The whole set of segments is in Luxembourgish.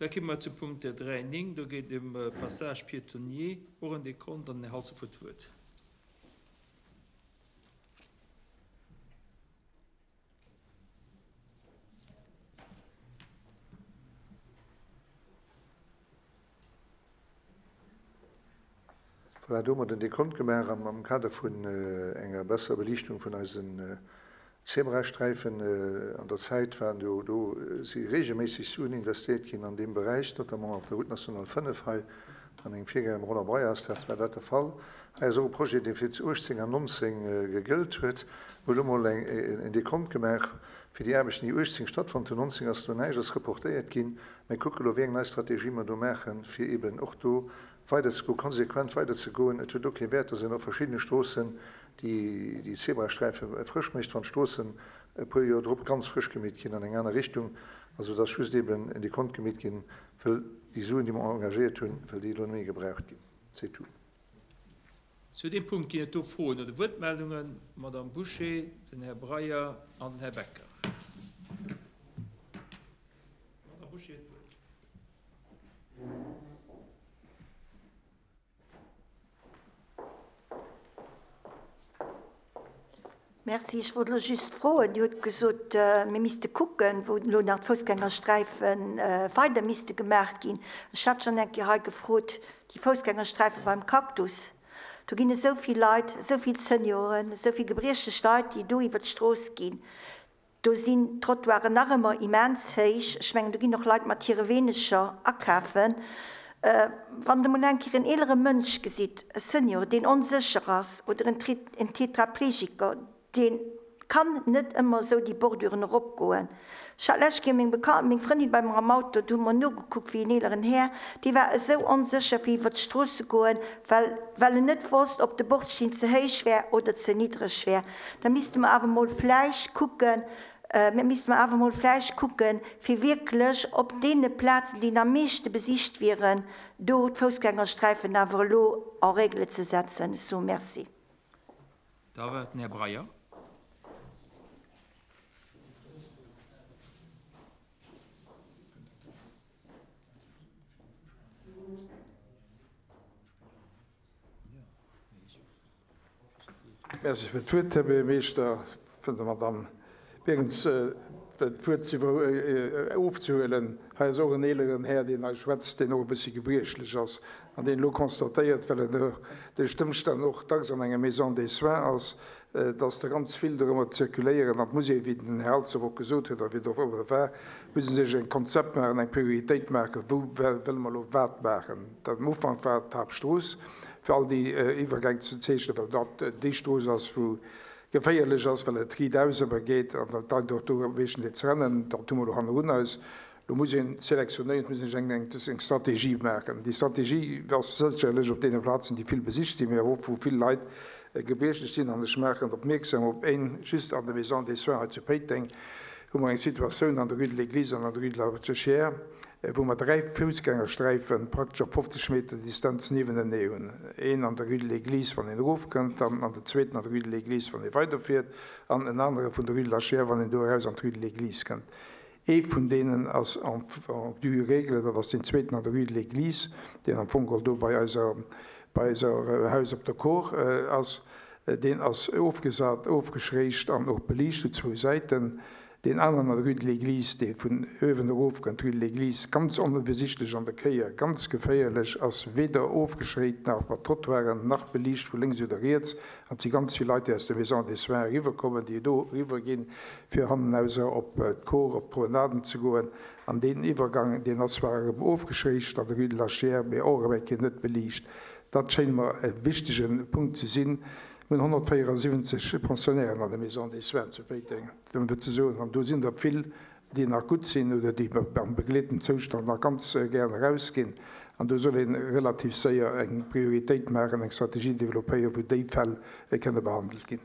Da komme mer zum Punkt 3, 9. Do geet et ëm Passage piétonnier. Och en Dekont an den Här Halsdorf huet d'Wuert. Voilà, do hu mer den Dekont gemaach am Kader vun enger besserer Beliichtung vun eisen Zebrasträifen. An der Zäit waren do, do si reegelméisseg Suen investéiert ginn an deem Beräich, notamment op der Route nationale 5 hei bei mengem Virgänger, dem Roland Breyers, dat war dat de Fall. Hei ass och e Projet, dee fir 18 an 19 gegëllt huet. Mir hunn elo mol en Dekont gemaach fir déi Aarbechten, déi 18 stattfonnt hunn. 19 ass do näischt, ass reportéiert ginn. Mir kucke elo, wéi eng nei Strategie mer do maachen, fir eeben och do weiderzegoen, konsequent weiderzegoen. Et huet och kee Wäert, dass een op verschiddene Stroossen déi Zebrasträife frësch mécht, wann d'Stroossen e puer Joer drop ganz frësch gemeet ginn an eng aner Richtung. Also et ass just eeben en Dekont gemeet ginn, wëll déi Suen, déi mer engagéiert hunn, wëll déi elo net méi gebraucht ginn. C'est tout. Zu deem Punkt ginn et do Froen oder Wuertmeldungen. D'Madame Bouché, den Här Breyer an den Här Becker. D'Madame Bouché huet d'Wuert. Merci. Ech wollt elo just froen, Dir hutt gesot, mir misste kucken, wou elo nach d'Foussgängersträife weider misste gemaach ginn. Ech hat schonn eng Kéier hei gefrot, déi Foussgängersträife beim Cactus, do ginn esou vill Leit, esou vill Senioren, esou vill gebriechlech Leit, déi do iwwer d'Strooss ginn. Do sinn d'Trottoiren nach ëmmer immens héich. Ech mengen, do ginn och Leit mat hire Weenecher akafen. Wann Der mol eng Kéier en eelere Mënsch gesitt, e Senior, deen onsécher ass, oder en Tetraplegiker, dee kann net ëmmer esou déi Borduren eropgoen. Ech hat d'lescht Kéier meng Bekan-, meng Frëndin bei mer am Auto, do hu mer nogekuckt wéi en eeleren Här, dee war esou onsécher fir iwwer d'Strooss ze goen, well, well en net wosst, ob de Bordsteen ze héich wär oder ze niddreg wär. Da misste mer awer emol vläicht kucken, mir misste mer awer emol vläicht kucken, fir wierklech op deene Plazen, déi am meeschte besicht wieren, do d'Foussgängersträifen awer elo en règle ze setzen. Ech soe Merci. Da war et den Här Breyer. Merci fir d'Wuert, Här Buergermeeschter. Fir der Madamm Berens d'Wuert ofzehuelen, Hei ass och en eeleren Här, deen hei schwätzt, deen och e bëssi gebriechlech ass an deen elo constatéiert, well en duerch d'Ëmstänn och dacks an enger Maison des soins ass, dass der ganz vill dorëmmer zirkuléieren. An et muss ee, wéi den Här Halsdorf och gesot huet a wéi et och ëmmer war, muss ee sech e Konzept maachen, eng Prioritéit maachen, wou wëlle mer elo wat maachen. Am Ufank war et d'Haaptstrooss, fir all déi Iwwergäng ze zeechnen, well dat déi Strooss ass, wou geféierlech ass, well et riitaus ëmmer geet a well d'Leit och do meeschtendeels rennen. Dat hu mer elo hannerun eis. Lo muss een selektionéieren, et muss een eng eng Strategie maachen. Déi Strategie ass sécherlech op deene Plazen, déi vill besicht sinn, mee awer och wou vill Leit gebriechlech sinn. An ech maachen opmierksam op een, just an der Maison des soins hei zu Péiteng hu mer eng Situatioun an der Rue de l'Église an an der Rue de la Rochère, wou mer 3 Foussgängersträife praktesch op 50 Meter Distanz niewenenee hunn, een an der Rue de l'Église, wann een erofkënnt, dann an den zweeten an der Rue de l'Église, wann ee weiderfiert, an en anere vun der Rue de la Chiers, wann een do eraus an d'Rue de l'Église kënnt. Ee vun deenen ass en due règle, dat ass deen zweeten an der Rue de l'Église, deen am Fong geholl do bei eiser, bei eiser Haus op der Kor ass. Deen ass ofgesat, ofgeschréicht an och beliicht u zwou Säiten. Deen aneren an der Rue de l'Église, dee vun uewen erofkënnt, Rue de l'Église, ganz onowiesichtlech an der Kéier, ganz geféierlech, ass weder ofgeschréit nach mat Trottoiren, nach beliicht vu lénks oder riets. An et si ganz vill Leit, déi aus der Maison des Soins eriwwerkommen, déi do eriwwerginn, fir hannenauser op d'Kor, op d'Promenaden ze goen. An deen Iwwergang, deen ass zwar erëm ofgeschréicht an der Rue de la Chiers, mee och erëm eng Kéier net beliicht. Dat schéint mer e wichtege Punkt ze sinn. Mir hunn 174 Pensionnairen an der Maison des Soins zu Péiteng, ëm fir ze soen, an do sinn der vill, déi nach gutt sinn oder déi am begleeten Zoustand nach ganz gären erausginn. An do soll ee relativ séier eng Prioritéit maachen, eng Strategie développéieren, wou déi Fäll kënne behandelt ginn.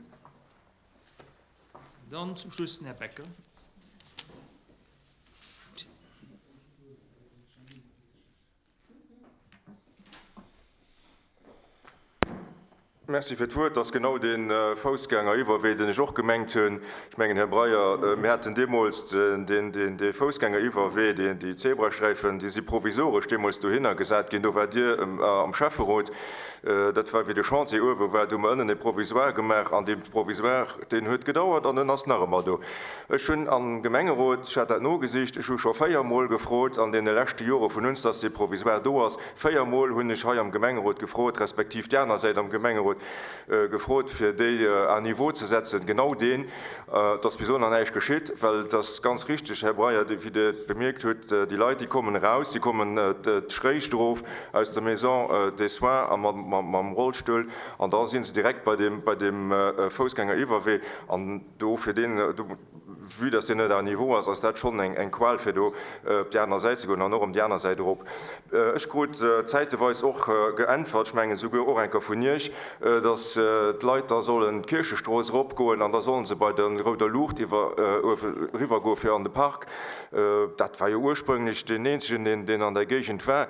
Dann zum Schluss den Här Becker. Merci fir d'Wuert. Dat ass genau dee Foussgängeriwwerwee, deen ech och gemengt hunn. Ech mengen, Här Breyer, mir haten deemools dee Foussgängeriwwerwee, déi Zebrasträifen, déi si provisoresch deemools dohinner gesat ginn. Do waart Dir am Schäfferot. Dat war, wéi de Chantier uewe war. Do hu mer ënnen e Provisoire gemaach an dee Provisoire, deen huet gedauert an en ass nach ëmmer do. Ech hunn am Gemengerot, ech hat dat nogesicht, ech hu scho véiermol gefrot an deene leschte Jore vun uns, dass dee Provisoire do ass. Véiermol hunn ech hei am Gemengerot gefrot, respektiv déi aner Säit am Gemengerot gefrot, fir déi à niveau ze setzen, genau deen. Et ass bis elo nach näischt geschitt, well et ass ganz richtig, Här Breyer, wéi Dir et bemierkt hutt, déi Leit, déi kommen eraus, déi kommen d'Schréich erof aus der Maison des soins a mam Rollstull an da si se direkt bei deem Foussgängeriwwerwee an do fir deen, Vue dass deen net à niveau ass, ass dat schonn eng Qual fir do op déi aner Säit ze goen an och ëm déi aner Säit erop. Ech krut zäiteweis och geäntwert, ech mengen esouguer och eng Kéier vun Iech, dass d'Leit da sollen d'Kierchestrooss eropgoen an da sollen se bei der rouder Luucht iwwer eriwwer goe fir an de Park. Dat war jo ursprünglech deen eenzegen, deen an der Géigend war.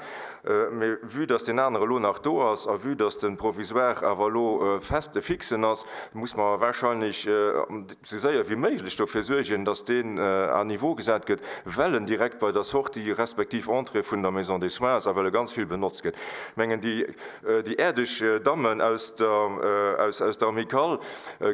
Mee vue dass deen anere elo nach do ass a vue dass de Provisoire awer elo fest e fixen ass, muss mer wahrscheinlech esou séier wéi méiglech dofir suergen, dass deen à niveau gesat gëtt, well en direkt bei der Sortie respektiv Entrée vun der Maison des soins ass a well e ganz vill benotzt gëtt. Ech mengen, déi, déi äerdeg Dammen aus der, aus, aus der Amicale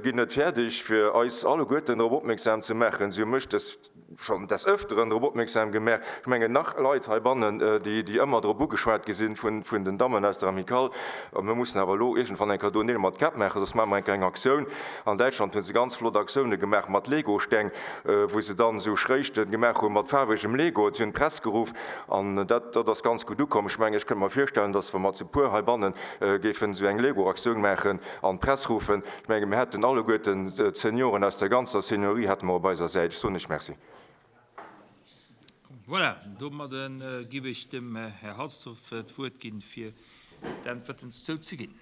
ginn net fäerdeg, fir eis alleguerten drop opmierksam ze maachen. Si hu mech des. schonn des Öfteren drop opmierksam gemaach, ech mengen nach Leit heibannen, déi déi ëmmer drop ugeschwat gi sinn vun vun den Dammen aus der Amicale, mir mussen awer elo iergendwann eng Kéier do Neel mat Käpp maachen, soss maache mer eng Kéier eng Aktioun. An Däitschland hu se ganz flott Aktioune gemaach mat Legosteng, wou se dann esou Schréichte gemaach hu mat faarwegem Lego. Si hunn d'Press geruff an dat dat ass ganz gutt ukomm. Ech mengen, ech kënnt mer virstellen, datt wa mer zu puer heibanne géifen esou eng Lego-Aktioun maachen an d'Press ruffen, Ech menge mir hätten alleguerten d'Senioren aus der ganzer Seniorie hätte mer op eiser Säit. Ech soen lech Merci. Voilà, domadde giff ech dem Här Halsdorf d'Wuert ginn, fir d'Äntwerten dozou ze ginn.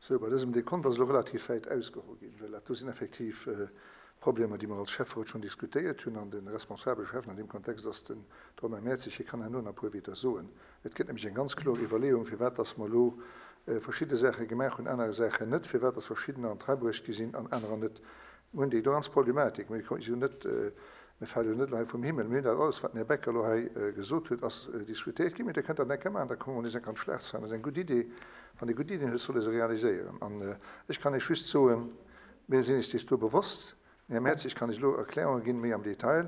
Sou, bei dësem Dekont ass elo relativ wäit ausgeholl ginn, well dat do sinn effektiv Problemer, déi mer als Schäfferot schonn diskutéiert hunn. An de responsabele Schäffen an deem Kontext ass den Romain Mertzig. Hie kann herno nach e puer Wieder soen. Et gëtt nämlech eng ganz kloer Iwwerleeung, firwat dass mer elo verschidde Saache gemaach hunn, aner Saachen net, firwat dass verschiddener an d'Rei bruecht gi sinn an anerer net. Mir hunn déi do ganz Problematik. Mir si jo net, mir fale jo net elo hei vum Himmel. Mir hunn dat alles, wat den Här Becker elo hei gesot huet, ass diskutéiert ginn. Mee Dir kënnt dat enke maachen, da komme mer nees enk an d'Schlagzeilen. Dat ass eng gutt Idee. Wann ee gutt Iddien huet, soll ee se realiséieren. An ech kann Iech just soen, mir sinn eis dees do bewosst. Den Här Mertzig kann Iech elo Erklärunge ginn, méi am Detail.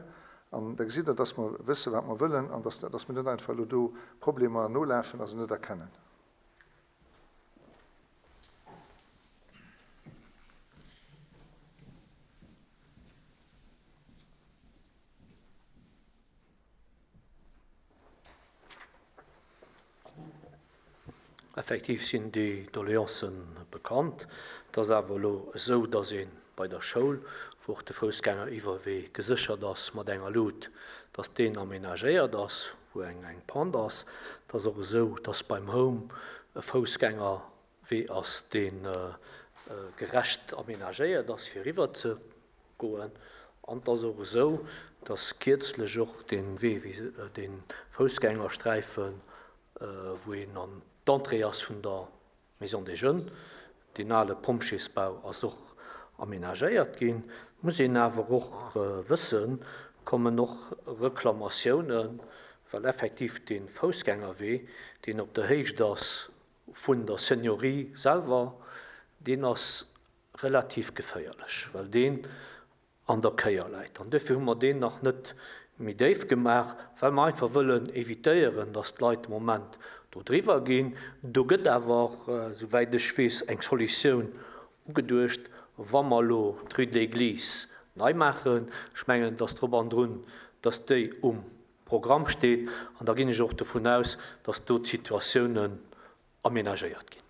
An da gesitt Der, dass mer wëssen, wat mer wëllen an dass, dass mir net einfach elo do Problemer nolafen a se net erkennen. Effektiv sinn déi Doleancen bekannt. Et ass awer elo esou, datt ee bei der Schoul, wou och de Foussgängeriwwerwee geséchert ass mat enger Lut, datt deen amenagéiert ass, wou eng eng Pente ass. Et ass och esou, datt beim Home e Foussgängerwee ass, dee gerecht amenagéiert ass, fir eriwwer ze goen. An et ass och esou, dass kierzlech och dee Wee, dee Foussgängersträifen, wou een an d'Entrée ass vun der Maison des Jeunes, deen ale Pompjeesbau ass och amenagéiert ginn. Et muss een awer och wëssen, kommen och Reklamatiounen, well effektiv dee Foussgängerwee, deen op der Héicht ass vun der Seniorie selwer, deen ass relativ geféierlech, well deen an der Kéier läit. An duerfir hu mer deen nach net méi déif gemaach, well mer einfach wëllen évitéieren, dass d'Leit de Moment do driwwer ginn. Do gëtt awer, souwäit ech weess, eng Solutioun ugeduecht, wa mer elo d'Rue de l'Église nei maachen. Ech mengen, et ass drop an drun, dass déi um Programm steet. An da ginn ech och dovun aus, dass do d'Situatiounen aménagéiert ginn.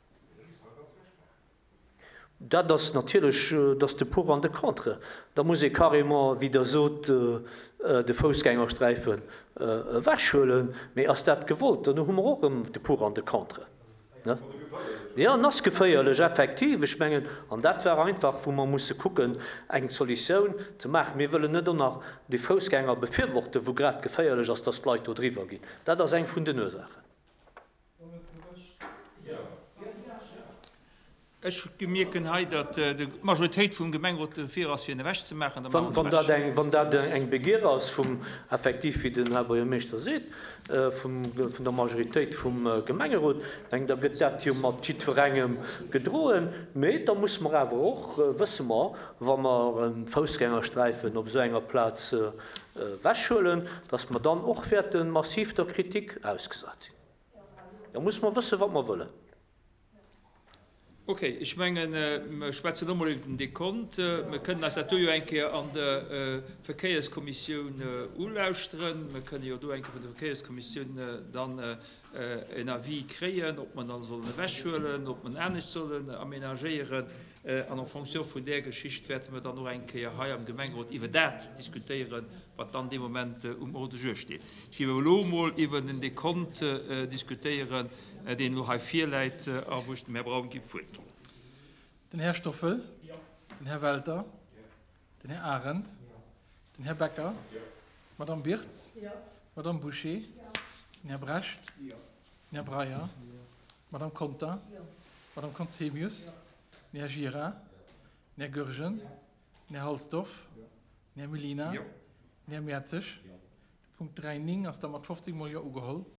Dat ass natierlech, dat ass de Pour an de Contre. Da muss ee carrément, wéi Der sot, de Foussgängersträifen ewechhuelen. Mee ass dat gewollt? Dann hu mer och erëm de Pour an de Contre. Jo, en ass geféierlech, effektiv. Ech mengen, an dat war einfach, wou mer musse kucken, eng Solutioun ze maachen. Mir wëllen net och nach déi Foussgänger befürworten, wou grad geféierlech ass, dass d'Leit do driwwer ginn. Dat ass eng vun den Ursaachen. Ech mierken hei, datt d'Majoritéit vum Gemengerot dofir ass, fir en ewechzemaachen. Da maache mer en ewech. Wann dat eng Begier ass vum, effektiv, wéi den Här Buergermeeschter seet, vun der Majoritéit vum Gemengerot, meng, da gëtt dat jo mat jiddwerengem gedroen. Mee da musse mer awer och, wësse mer, wa mer e Foussgängersträifen op esou enger Plaz ewechhuelen, datt mer dann och wäerte massiv der Kritik ausgesat sinn. Da musse mer wëssen, wat mer wëllen. Ok, ech mengen, mer schwätzen elo mol iwwer den Dekont. Mer kënnen eis dat do jo eng Kéier an der Verkéierskommissioun ulauschteren. Mer kënne jo do eng Kéier vun der Verkéierskommissioun dann en Avis kréien, ob mer dann sollen ewechhuelen, ob mer en anescht sollen aménagéieren. An en fonction vun där Geschicht wäerte mer dann och eng Kéier hei am Gemengerot iwwer dat diskutéieren, wat dann dee Moment um Ordre du jour steet. Ech géif awer elo emol iwwer den Dekont diskutéieren, deen elo hei virläit a wou ech dem Här Braun géif d'Wuert ginn. Den Här Stoffel. Den Här Welter. Den Här Arendt. Den Här Becker. D'Madame Birtz. D'Madame Bouché. Den Här Brecht. Den Här Breyer. D'Madame Conter. D'Madame Conzemius. Den Här Gira. Den Här Goergen. Den Här Halsdorf. Den Här Mellina. Den Här Mertzig. De Punkt 3, 9 ass da mat 15 mol Jo ugeholl.